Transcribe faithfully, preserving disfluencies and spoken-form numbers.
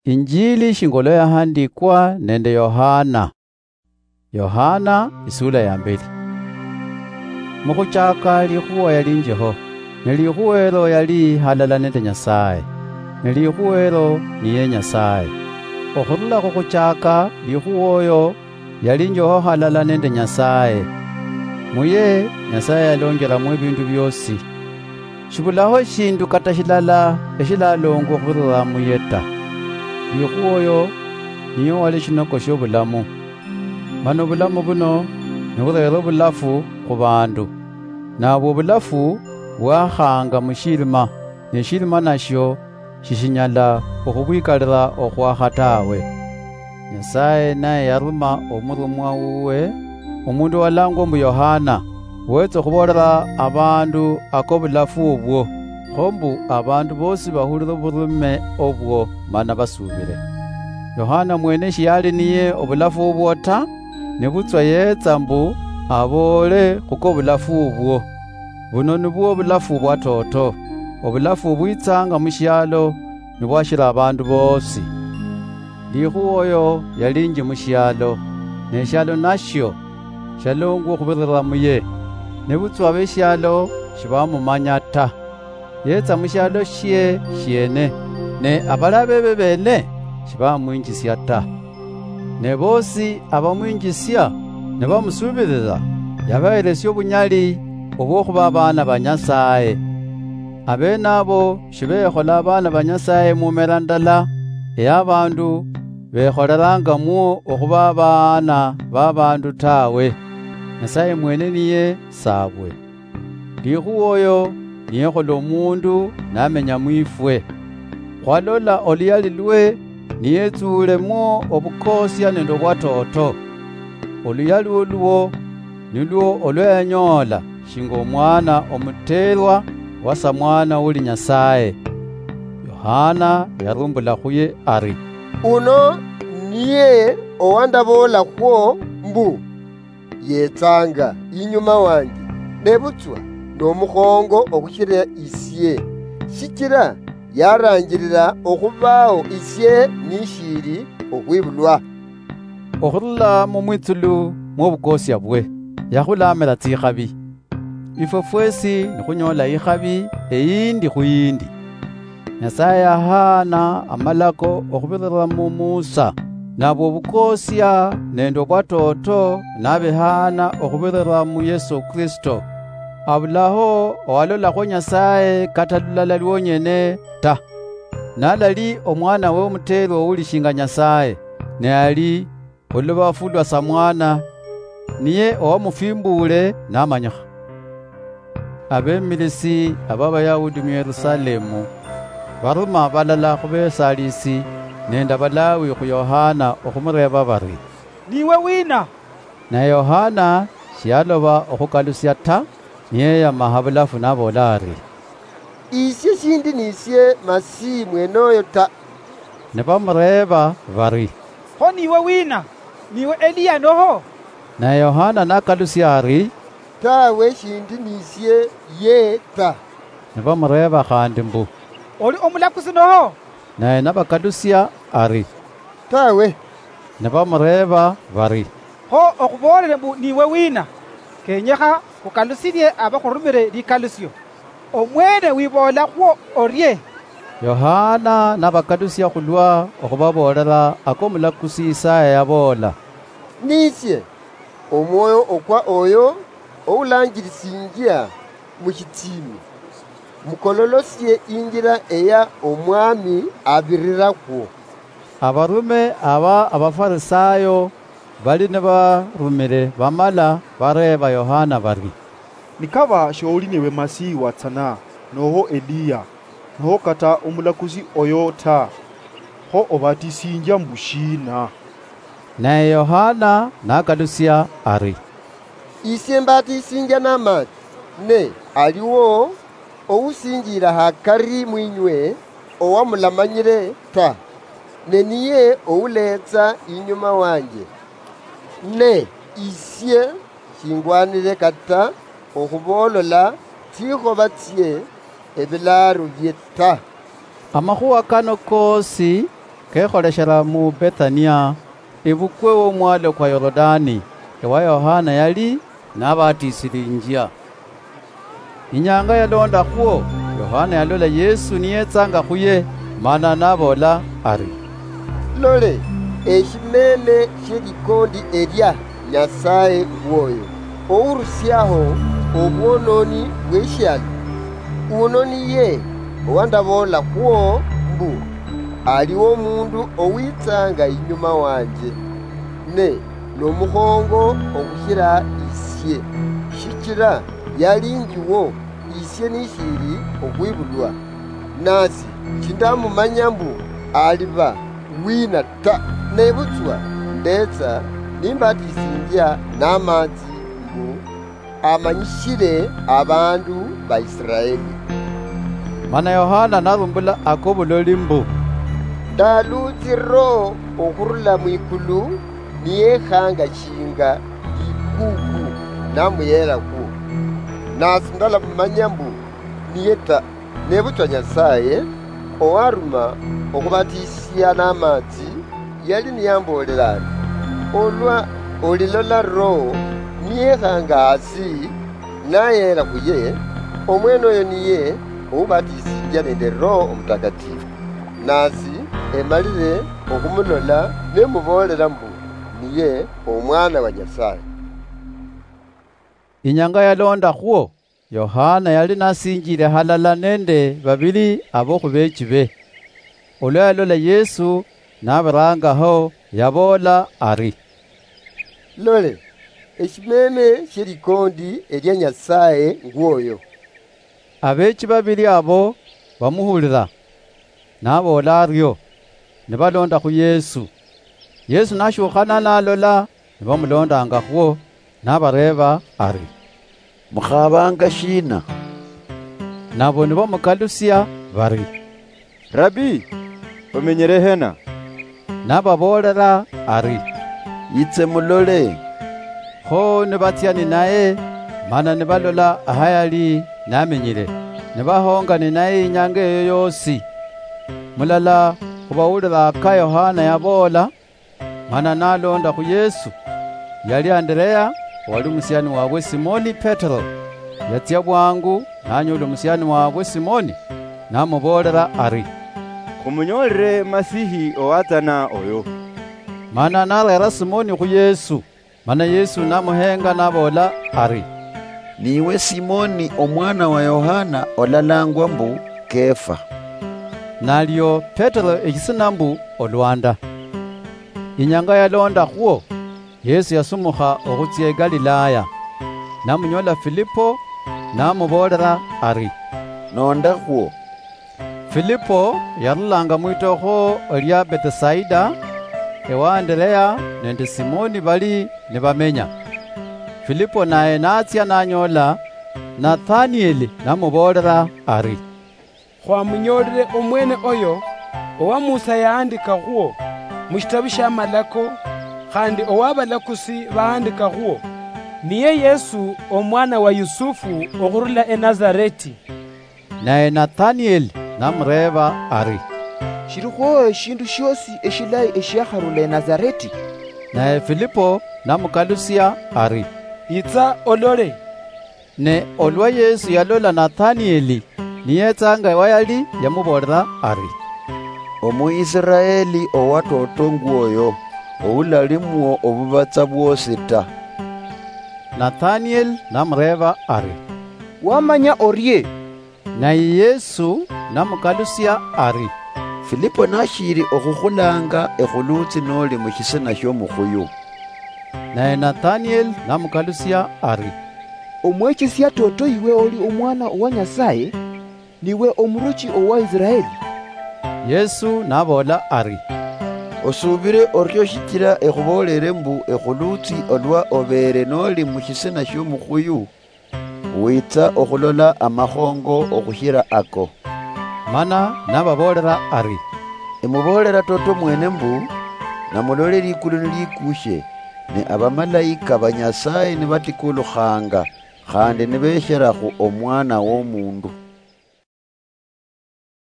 Injili shinga olwa yahandikwa nende Yohana. Yohana, isula ya mbeli. Mukhuchaka likhuwa yalinjiho, ne likhuwa elo yali halala nende Nyasaye, ne likhuwa elo niye Nyasaye. Okhurula khukhuchaka, likhuwa oyo yalinjiho halala nende Nyasaye. Muye Nyasaye yalonjelamwo ebindu biosi. Shibulaho eshindu kata shilala eshilalongwa okhubirira muye ta. Likhuwa oyo niye owali eshinoko shiobulamu. Mana obulamu buno niburera obulafu khubandu. Nabwo obulafu bwakhanga mushirima, ne eshirima nashio shishinyala okhubwikalira okhwakha tawe. Nyasaye naye yaruma omurumwa wuwe, omundu owalangwa mbu Yohana, wetsa okhubolera abandu akobulafu obwo, kho mbu abandu bosi bahulire oburume obwo mana basubire. Yohana mwene shiyali niye obulafu obwo ta, nebutswa yetsa mbu aboole khukobulafu obwo. Buno nibwo obulafu bwatoto, obulafu obwitsanga mushialo nibwashira abandu bosi. Likhuwa oyo yalinji mushialo, ne eshialo nashio shialongwa okhubirira muye, nebutswa abeshialo shibamumanya ta. Yetsa mushialo shie shiene, ne abali abebe bene shibamwinjisia ta. Ne bosi abamwinjisia nibamusubirira, yabaheresia obunyali obwokhuba abaana ba Nyasaye. Abene abo shibekhola abaana ba Nyasaye mumera ndala eya abandu bekholerangamwo okhuba abaana ba abandu tawe. Nyasaye mwene niye sabwe. Likhuwa oyo niyekhola omundu namenya mwifwe. Khwalola oluyali lwe niyetsuulemwo obukosia nende obwatoto. Oluyali olwo nilwo olwayanyoola shinga omwana omuteerwa wa samwana uli Nyasaye. Yohana yarumbula khuye ari, "Uno niye owandaboolakhwo mbu, 'Yetsanga inyuma wanje, nebutswa nomukhongo okhushira isie, shichira yaranjirira okhubao isie nishili okhwibulwa.'" Okhurula mumwitsulu mwobukosia bwe, yakhulamira tsikhabi. Ifwe fwesi nikhunyola ikhabi eyindi khuyindi. Nyasaye yahaana amalako okhubirira mu Musa, nabwo obukosia nende obwatoto nabihaana okhubirira mu Yesu Kristo. Abulaho owalolakhwo Nyasaye kata lulala lwonyene ta. Nalali omwanawe omuteerwa uli shinga Nyasaye, ne ali olubafu lwa samwana, niye owamufimbuule namanyikha. Abemilisi aba Abayahudi mu Yerusalemu baruma balala khu besalisi nende Abalawi khu Yohana okhumureeba bari, "Niwe wina?" Naye Yohana shiyaloba okhukalusia ta, niyeyama habulafu naboola ari, "Isie shindi nisie Masihi mwenoyo ta." Nibamureeba bari, "Kho niwe wina? Niwe Eliya noho?" Naye Yohana nakalusia ari, "Tawe, shindi nisie ye ta." Nibamureeba khandi mbu, "Oli omulakusi noho?" Naye nabakalusia ari, "Tawe." Nibamureeba bari, "Kho okhuboolere mbu niwe wina? Kenyekha khukalusirie abakhurumire likalusio. Omwene wiboolakhwo orie?" Yohana nabakalusia khulwa okhubaboolera akomulakusi Isaya yaboola, "Nisie omwoyo okwa oyo oulanjirisinjia mushitiimi, mukololosie injira eya Omwami abirirakwo." Abarume aba Abafarisayo bali nibarumire bamala bareeba Yohana bari, "Nikaba sholi niwe Masihi watsana, noho Eliya, noho kata omulakusi oyo ta, kho obatisinjia mbu shina?" Naye Yohana nakalusia ari, "Isie mbatisinjia namaatsi, ne aliwo ousinjira hakari mwinywe owamulamanyire ta, ne niye ouletsa inyuma wanje. Ne isie shingwanire kata okhuboolola tsikhoba tsie ebilaaro bie ta." Amakhuwa kano koosi Kekholeshela mu Bethania, ibukwe womwalo kwa Yorodani, ewa Yohana yali nabatisilinjia. Inyanga yalondakhwo, Yohana yalola Yesu niyetsanga khuye, mana naboola ari, "Lole, eshimeme shielikondi elia Nyasaye ngwoyo, ourusiaho obwononi bweshialo. Uno niye owandaboolakhwo mbu, aliwo omundu owitsanga inyuma wanje, ne nomukhongo okhushila isie, shichila yali njiwo isie nishili okhwibulwa. Nasi shindamumanya mbu aliba wina ta, nebutswa ndetsa nimbatisinjia namatsi mbu amanyishile abandu ba Israeli." Mana Yohana narumbula ako buloli mbu, "Ndalutsi Roho okhurula mwikulu niyekhanga shinga likuku namuyelakwo. Nasi ndalamumanya mbu niye ta, nebutswa Nyasaye owaruma okhubatisia namatsi yali niyambolela ari, 'Olwa olilola Roho niyekhanga hasi nayela khuye, omwene oyo niye oubatisinjia nende Roho Omutakatifu.' Nasi emalile okhumulola, nemubolela mbu niye Omwana wa Nyasaye." Inyanga yalondakhwo, Yohana yali nasinjile halala nende babili abo khubechibe. Olwa yalola Yesu nabirangaho, yaboola ari, "Lole, eshimeme shielikondi elia Nyasaye ngwoyo." Abechi babili abo bamuhulila naboola ario, nibalonda khu Yesu. Yesu nashukhana nalola nibamulondangakhwo, nabareeba ari, "Mukhabanga shina?" Nabo nibamukalusia bari, "Rabi, omenyere hena?" Nababoolera ari, "Yitse mulole." Kho nibatsia ninaye, mana nibalola ahayali namenyile, nibahonga ninaye inyanga eyo yosi. Mulala khubawulira aka Yohana yaboola, mana nalonda khu Yesu, yali Anderea, owali omusiani wabwe Simoni Petero. Yatsia bwangu, nanyola omusiani wabwe Simoni, namuboolera ari, "Khumunyoolere Masihi owatsana oyo." Mana nareera Simoni khu Yesu. Mana Yesu namuhenga naboola ari, "Niwe Simoni omwana wa Yohana, olalangwa mbu Kefa." Nalio Petero eshisina mbu Olwanda. Inyanga yalondakhwo, Yesu yasumukha okhutsia eGalilaya. Namunyola Filipo, namuboolera ari, "Nondakhwo." Filipo yarulanga mwitokho lia Betisaida, ewa Anderea nende Simoni bali nibamenya. Filipo naye natsia nanyola Nathanieli, namuboolera ari, "Khwamunyoolile omwene oyo, owa Musa yahandika khuo mushitabu shia Malako, khandi owa abalakusi bahandika khuo, niye Yesu omwana wa Yusufu okhurula eNazareti." Naye Nathanieli namureeba ari, "Shilikhwo eshindu shiosi eshilayi eshiakharula eNazareti?" Naye Filipo namukalusia ari, "Yitsa olole." Ne olwa Yesu yalola Nathanieli niyetsa nga wayali, yamuboolera ari, "Omuisiraeli owa toto ngwoyo, oulalimwo obubatsa bwosi ta." Nathanieli namureeba ari, "Wamanya orie?" Naye Yesu namukalusia ari, "Filipo nashiili okhukhulanga ekhulutsi noli mushisina shiomukhuyu." Naye Nathanieli namukalusia ari, "Omwechesia toto iwe oli Omwana owa Nyasaye, niwe Omuruchi owa Israeli." Yesu naboola ari, "Osuubile orio shichila ekhuboolele mbu ekhulutsi olwa obeele noli mushisina shiomukhuyu, witsa okhulola amakhongo okhushila ako." Mana nababoolera ari, "Emuboolera toto mwene mbu, namulola likulu nilikushe, ne abamalayika ba Nyasaye nibatikulukhanga, khandi nibeshela khu Omwana wOmundu."